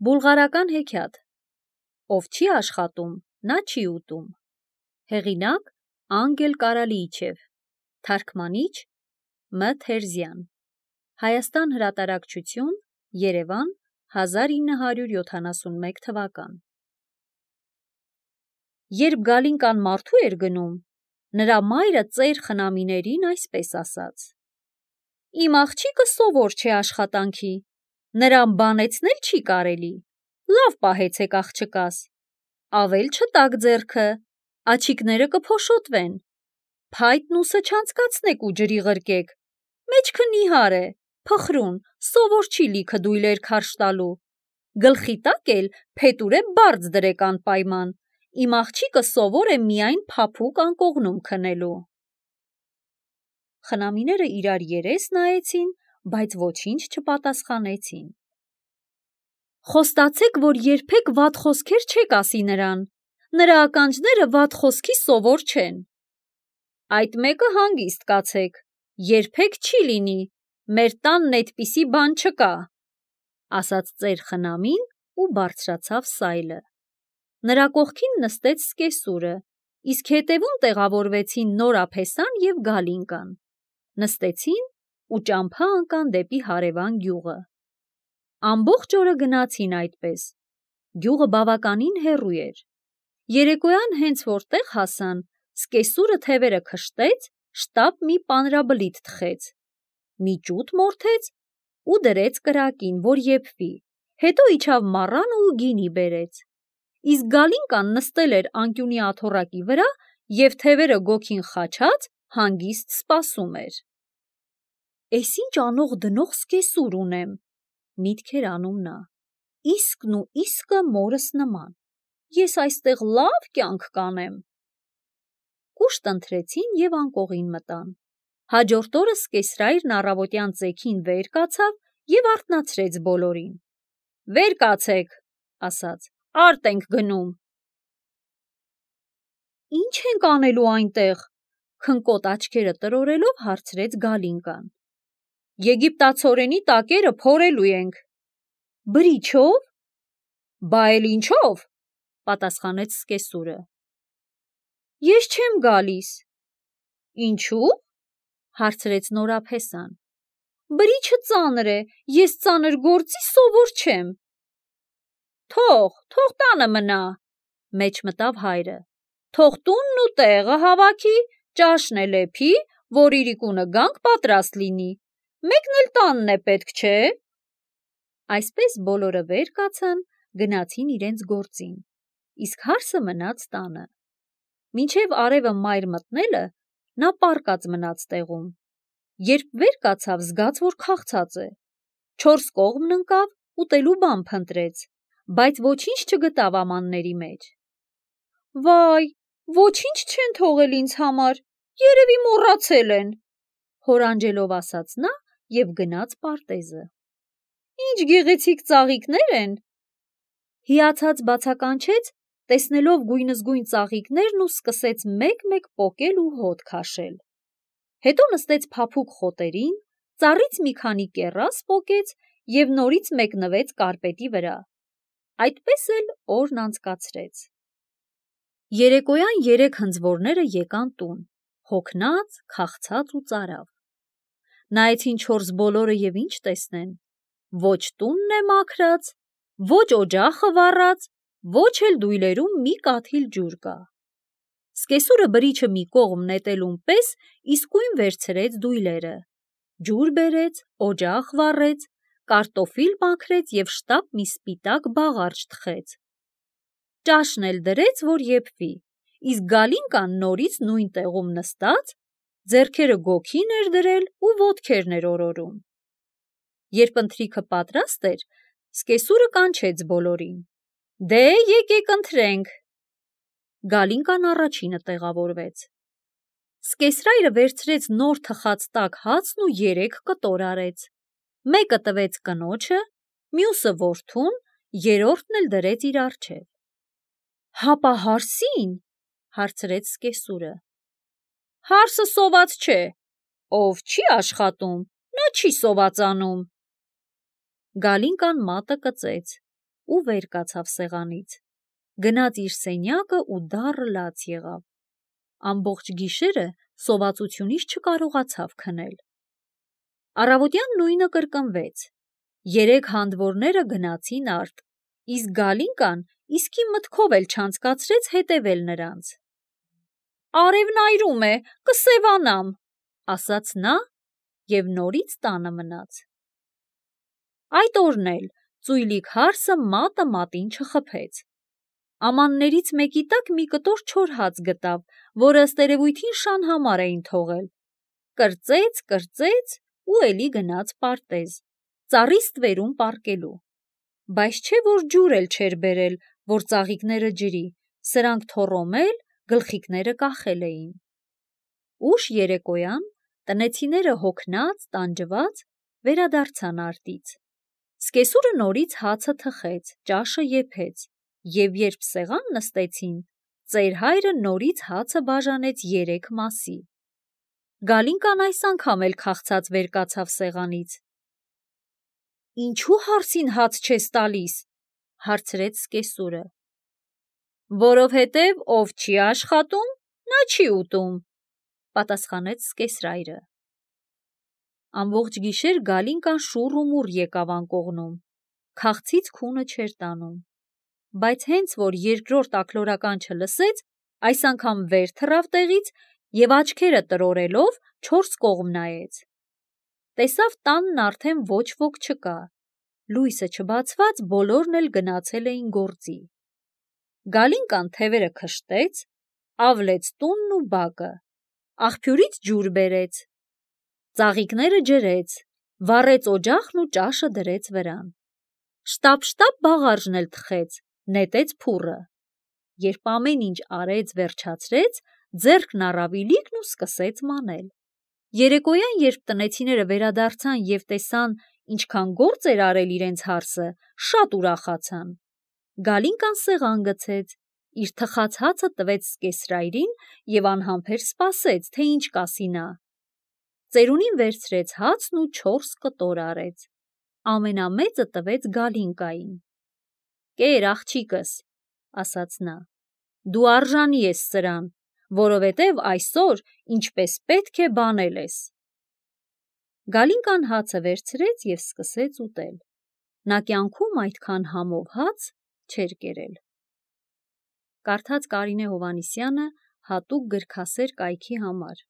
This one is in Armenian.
Բուլղարական հեքիաթ Ով չի աշխատում, նա չի ուտում։ Հեղինակ Անգել Կարալիիչև, թարգմանիչ Մ. Թերզյան, Հայաստան հրատարակչություն, Երևան, 1971 թվական։ Երբ Գալինկան մարդու էր գնում, նրա մայրը ծեր խնամիներին այսպես ասաց. «Իմ աղջիկը սովոր չէ աշխատանքի, նրան բանեցնել չի կարելի, լավ պահեցեք աղջկաս, ավել չտաք ձեռքը, աջիկները կփոշոտվեն, փայտն ուսը չանցկացնեք ու ջրի ղրկեք, մեջքը նիհար է, փխրուն, սովոր չի լիքը դույլեր քարշ տալու, գլխի տակ էլ փետուրե բարձ դրեք անպայման, իմ աղջիկը սովոր է միայն փափուկ անկողնում քնելու»։ Խնամիները իրար երես նայեցին, բայց ոչինչ չպատասխանեցին։ «Խոստացեք, որ երբեք վատ խոսքեր չեք ասի նրան, նրա ականջները վատ խոսքի սովոր չեն»։ «Այդ մեկը հանգիստ կացեք, երբեք չի լինի, մեր տանն էդպիսի բան չկա», ասաց ծեր խնամին ու բարձրացավ սայլը։ Նրա կողքին նստեց սկեսուրը, իսկ հետևում տեղավորվեցին Նորապեսան և Գալինկան։ Նստեցին ու ճամփա ընկան դեպի հարևան գյուղը։ Ամբողջ օրը գնացին այդպես։ Գյուղը բավականին հեռու էր։ Երեկոյան հենց որ տեղ հասան, սկեսուրը թևերը քշտեց, շտապ մի պանրաբլիթ թխեց, մի ճուտ մորթեց ու դրեց կրակին, որ եփվի, հետո իջավ մառանը ու գինի բերեց։ Իսկ Գալինկան նստել էր անկյունի աթոռակի վրա և թևերը գոգին խաչած հանգիստ սպասում էր։ «Էս ինչ անող դնող սկեսուր ունեմ», միտք էր անում նա, «իսկն ու իսկը մորս նման, ես այստեղ լավ կյանք կանեմ»։ Կուշտ ընթրեցին և անկողին մտան։ Հաջորդ օրը սկեսրայրն առավոտյան ծեքին վեր կացավ և արթնացրեց բոլորին։ «Վեր կացեք», ասաց, «արտ ենք գնում»։ «Ինչ ենք անելու այնտեղ», քնկոտ աչքերը տրորելով հարցրեց Գալինկան։ «Եգիպտացորենի տակերը փորելու ենք»։ «Բրիչո՞վ»։ «Բա էլ ինչո՞վ», պատասխանեց սկեսուրը։ «Ես չեմ գալիս»։ «Ինչու՞։», հարցրեց Նորապեսան։ «Բրիչը ծանր է, ես ծանր գործի սովոր չեմ»։ Թող տանը մնա, մեջ մտավ հայրը, թող տունն ու տեղը հավաքի, ճաշն էլ էփի, որ իրիկունը գանք պատրաստ լինի, մեկն էլ տանն է պետք, չէ՞։ Այսպես բոլորը վեր կացան, գնացին իրենց գործին, իսկ հարսը մնաց տանը։ Մինչև արևը մայր մտնելը նա պառկած մնաց տեղում։ Երբ վեր կացավ, զգաց, որ քաղցած է։ 4 կողմն ընկավ, ուտելու բան փնտրեց, բայց ոչինչ չգտավ ամանների մեջ։ «Վայ, ոչինչ չեն թողել ինձ համար, երևի մոռացել են», հորանջելով ասաց նա և գնաց պարտեզը։ «Ինչ գեղեցիկ ծաղիկներ են»։ Հիացած բացականչեց, տեսնելով գույնզգույն ծաղիկներն ու սկսեց մեկ-մեկ պոկել ու հոտ քաշել։ Հետո նստեց փափուկ խոտերին, ծառից մի քանի կեռաս պոկեց և նորից մեկնվեց կարպետի վրա։ Այդպես էլ օրն անցկացրեց։ Երեկոյան 3 հնձվորները եկան տուն, հոգնած, քաղցած ու ծարավ։ Նայեցին 4 բոլորը և ինչ տեսնեն։ Ոչ տունն է մաքրած, ոչ օջախը վառած, ոչ էլ դույլերում մի կաթիլ ջուր կա։ Սկեսուրը բրիչը մի կողմ նետելուն պես իսկույն վերցրեց դույլերը, ջուր բերեց, օջախ վառեց, կարտոֆիլ մաքրեց և շտապ մի սպիտակ բաղարջ թխեց։ Ճաշն էլ դրեց, որ եփվի, իսկ Գալինկան նորից նույն տեղում նստած, ձեռքերը գոգին էր դրել ու ոտքերն էր օրորում։ Երբ ընթրիքը պատրաստ էր, սկեսուրը կանչեց բոլորին. «Դե եկեք ընթրենք»։ Գալինկան առաջինը տեղավորվեց։ Սկեսրայրը վերցրեց նոր թխած տաք հացն ու 3 կտոր արեց։ Մեկը տվեց կնոջը, մյուսը որդուն, երրորդն էլ դրեց իր առջև։ «Հապա հարսի՞ն», հարցրեց սկեսուրը։ «Հարսը սոված չէ, ով չի աշխատում, նա չի սովածանում»։ Գալինկան մատը կծեց, ու վեր կացավ սեղանից։ Գնաց իր սենյակը ու դառը լաց եղավ։ Ամբողջ գիշերը սովածությունից չկարողացավ քնել։ Առավոտյան նույնը կրկնվեց։ 3 հանդվորները գնացին արդ, իսկ Գալինկան իսկի մտքով էլ չանցկացրեց հետևել նրանց։ «Արևն այրում է, կսևանամ», ասաց նա և նորից տանը մնաց։ Այդ օրն էլ ծույլիկ հարսը մատը մատին չխփեց։ Ամաններից մեկի տակ մի կտոր չոր հաց գտավ, որը ըստ երևույթին շան համար էին թողել։ Կրծեց ու էլի գնաց պարտեզ, ծառի ստվերում պառկելու։ Բայց չէ որ ջուր էլ չէր բերել, որ ծաղիկները ջրի, սրանք թոռոմել, գլխիկները կախել էին։ Ուշ երեկոյան տնեցիները հոգնած, տանջված վերադարձան արտից։ Սկեսուրը նորից հացը թխեց, ճաշը եփեց, և երբ սեղան նստեցին, ծեր հայրը նորից հացը բաժանեց 3 մասի։ Գալինկան այս անգամ էլ քաղցած վեր կացավ սեղանից։ «Ինչու հարսին հաց չես տալիս», հարցրեց սկեսուրը։ «Որովհետև ով չի աշխատում, նա չի ուտում», պատասխանեց սկեսրայրը։ Ամբողջ գիշեր Գալինկան շուռ ու մուռ եկավ անկողնում, քաղցից քունը չէր տանում, բայց հենց որ երկրորդ աքլորական չլսեց, այս անգամ վեր թռավ տեղից և աչքերը տրորելով 4 կողմ նայեց։ Տեսավ տանն արդեն ոչ ոք չկա, լույսը չբացված բոլորն էլ գնացել էին գործի։ Գալինկան թևերը քշտեց, ավլեց տունն ու բակը, աղբյուրից ջուր բերեց, ծաղիկները ջրեց, վառեց օջախն ու ճաշը դրեց վրան։ Շտապ-շտապ բաղարջն էլ թխեց, նետեց փուռը։ Երբ ամեն ինչ արեց, վերջացրեց, ձեռքն առավ իլիկն ու սկսեց մանել։ Երեկոյան, երբ տնեցիները վերադարձան և տեսան, ինչքան գործ էր արել իրենց հարսը, շատ ուրախացան։ Գալինկան սեղան գցեց, իր թխած հացը տվեց սկեսրայրին և անհամբեր սպասեց, թե ինչ կասի նա։ Ծերունին վերցրեց հացն ու 4 կտոր արեց, ամենամեծը տվեց Գալինկային։ «Կեր, աղջիկս», ասաց նա, «դու արժանի ես սրան, որովհետև այսօր ինչպես պետք է բանել ես»։ Գալինկան հացը վերցրեց և սկսեց ուտել։ Նա կյանքում այդքան համով հաց չէր կերել։ Կարդաց Կարինե Հովհաննիսյանը հատուկ գրքասեր կայքի համար։